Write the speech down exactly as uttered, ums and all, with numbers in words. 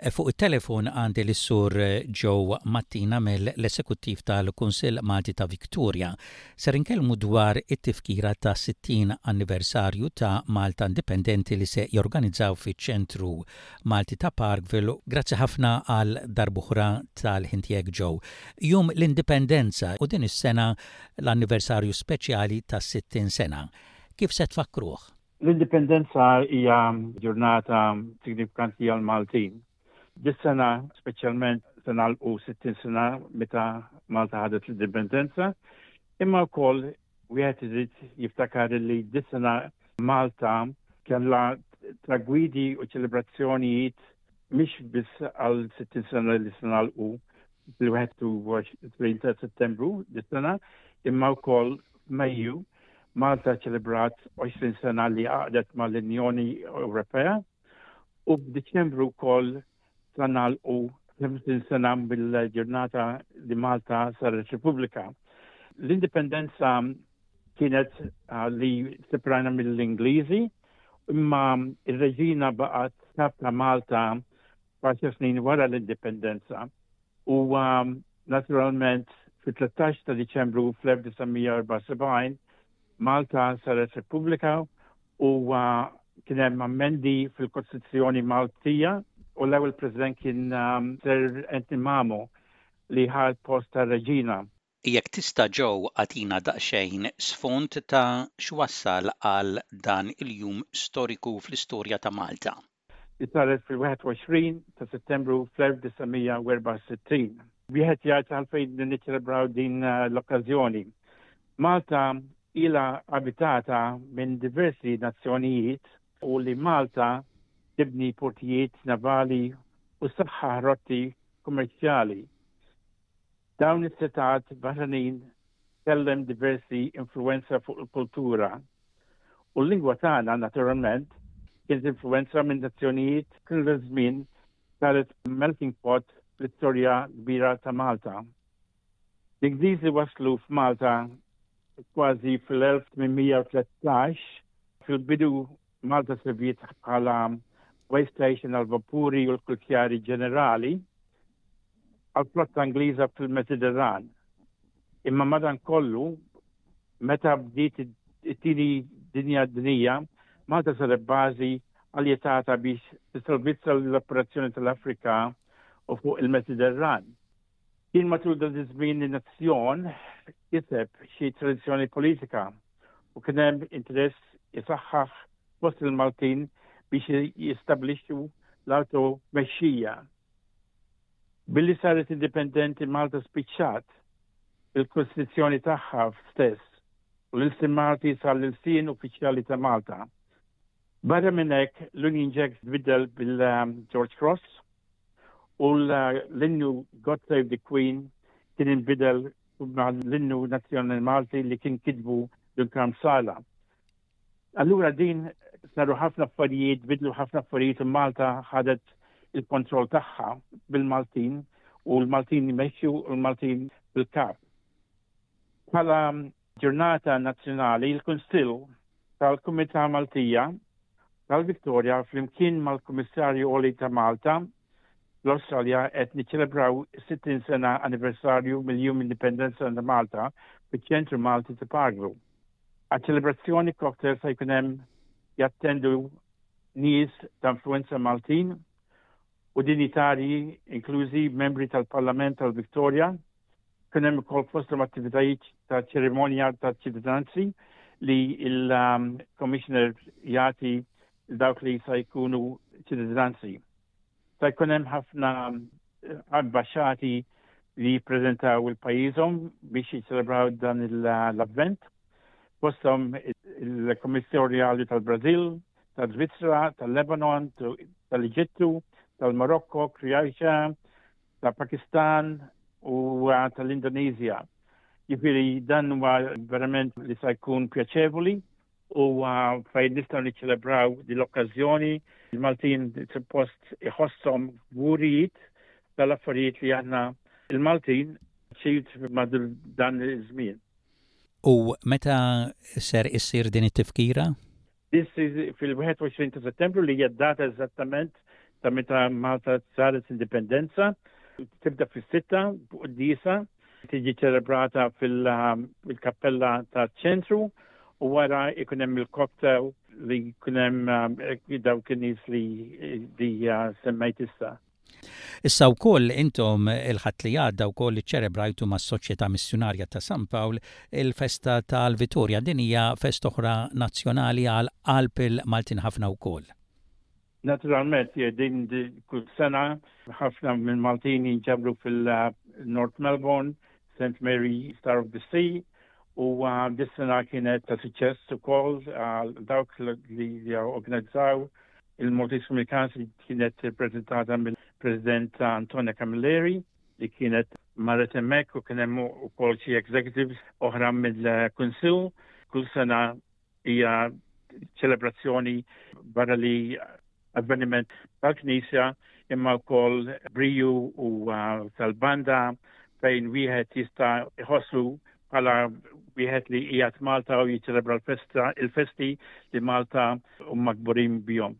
Fuq it-telefon għandi lis-Sur Joe Mattina mill-Esekuttiv tal-Kunsill Malti ta' Victoria. Ser inkellmu dwar it-tifkira ta' sittin anniversarju ta' Malta Indipendenti li se jorganizzaw fiċ-Ċentru Malti ta' Parkville. Grazzi ħafna għal darb'oħra tal-ħin tiegħek, Joe. Jum l-Indipendenza u din is-sena l-anniversarju speċjali ta' sittin sena. Kif se tfakruh? L-Indipendenza hija ġurnata signifikanti għal Maltin. Dis-sena speċjalment se nagħlqu sittin sena meta Malta ħadet l-indipendenza, imma wkoll wieħed irid jiftakar li dis-sena Malta kellha tragwidi u ċelebrazzjonijiet mhix biss għal sittin sena li se nagħlqu fil-wieħed u għoxrin ta' Settembru dis-sena, imma wkoll f'Mejju Malta ċelebrat għoxrin sena li għaqdet mal-Unjoni Ewropea u f'Diċembru wkoll se nagħlqu ħamsin sena bil-ġurnata li Malta saret Repubblika. L-indipendenza kienet uh, li separajna mill-Ingliżi, imma il-reġina baqgħet kap ta' Malta għaxar snin wara l-indipendenza. U um, naturalment fit-tlettax ta' Diċembru fl-elf disa' mija erbgħa u sebgħin Malta saret Repubblika u uh, kien hemm ammendi fil-Kostituzzjoni Maltija u l-ewwel president kien um, Sir Anthony Mamo li ħa l-post ta' reġina. Jekk tista', Joe, agħtina daqsxejn sfond ta' x'wassal għal dan il-jum storiku fl-istorja ta' Malta. Li saret fil-wieħed u għoxrin ta' Settembru fl-elf disa' mija erbgħa u sittin. Wieħed jgħid għalfejn niċċelebraw din uh, l-okkażjoni. Malta ila abitata minn diversi nazzjonijiet u li Malta tibni portijiet navali u saħħaħ rotti kummerċjali. Dawn is-setgħat barranin kellhom diversi influenza fuq il-kultura. U l-lingwa tagħna naturalment kienet influenza minn nazzjonijiet kull żmien, saret melting pot fl-istorja kbira ta' Malta. L-Ingliżi waslu f'Malta kważi fil-elf tmien mija u tlettax. Fil-bidu Malta serviet bħala way station għal vapuri u l-kwartieri ġenerali għal flotta Ingliża fil-Mediterran. Imma madan kollu, meta bdiet it-tieni dinja dinija, Malta saret bażi aljetata biex tissalvizza l-operazzjoni tal-Afrika u fuq il-Mediterran. Kien matul dan iż-żmien li nazzjon kiseb xi tradizzjoni politika u kien hemm interess jisaħħaħ fost il-Maltin biex jistabilixxu l-auto-mexxija. Billi saret indipendenti, Malta spiċċat il-Kostituzzjoni tagħha stess u l-ilsien Malti sar l-ilsien uffiċjali ta' Malta. Barra minn hekk, l-Union Jack tbiddel bil-George Cross u l-innu God Save the Queen kien inbidel l-innu nazzjonali Malti li kien kitbu Dun Karm Psaila. Allura din saru ħafna affarijiet, bidlu ħafna affarijiet u Malta ħadet il-kontroll tagħha bil-Maltin u l-Maltin jmexxu u l-Maltin bil-kap. Bħala ġurnata nazzjonali, il-Kunsill tal-Kumità Maltija tal-Victoria flimkien mal-Kummissarju Għoli ta' Malta l-Australja qed niċċelebraw sittin sena anniversarju mill-Jum Indipendenza ta' Malta fiċ-Ċentru Malti ta' Parkville. Għal-ċelebrazzjoni cocktail se jkun hemm jattendu nies ta' influenza Maltin u dinjitarji, inklużi membri tal-Parlament tal-Victoria. Kien hemm ukoll fosthom attivitajiet ta' ċerimonja ta' ċittadinanzi li il-Commissioner jagħti dawk li sa jkunu ċittadinanzi. Sa jkun hemm ħafna ambasċati li jippreżentaw il-pajjiżhom biex jiċċelebraw dan l-avvent. Fosthom il-Kommissarjali tal-Brazil, tal-Svizzera, tal-Lebanon, tal-Eġittu, tal-Marokko, Kroatia, tal-Pakistan u tal-Indonezja. Jiġifieri dan huwa verament li sa jkun pjaċevoli u fejn nistgħu niċċelebraw din l-okkażjoni. Il-Maltin suppost iħosshom kburijiet tal-affarijiet li aħna il-Maltin ċilt ma' dan iż-żmien. U meta ser issir din it-tifkira? Fil-wieħed u għoxrin ta' Settembru, li hija data eżattament ta' meta Malta saret indipendenza. Tibda fis-sitta quddiesa, tiġi ċelebrata fil-kappella ta' ċentru u wara ikun hemm il-cocktail li jkun hemm um, dawk in-nies li, li uh, semmejt issa. Issa wkoll intom il-Ħadd li għadda wkoll iċċelebrajtu mas-Soċjetà Missjunarja ta' San Pawl il-festa tal-Vitorja. Din hija festa oħra nazzjonali għal qalb il-Maltin ħafna wkoll. Naturalment, din kull sena ħafna minn Maltin jinġabru fil-North Melbourne, Saint Mary Star of the Sea, u uh, dis-sena kienet ta' suċċess ukoll uh, dawk li organizzaw il-Maltese Community Council kienet prezentata mill-President Antonia Camilleri li kienet marret hemmhekk u kien hemm ukoll xi executives oħra mill-Kunsill. Kull sena hija ċelebrazzjoni barra li avveniment tal-Knisja imma wkoll briju u uh, tal-banda fejn wieħed jista' jħossu bħala wieħed li qiegħed Malta u jiċċelebra l-festa il-festi li Malta huma kburin bihom.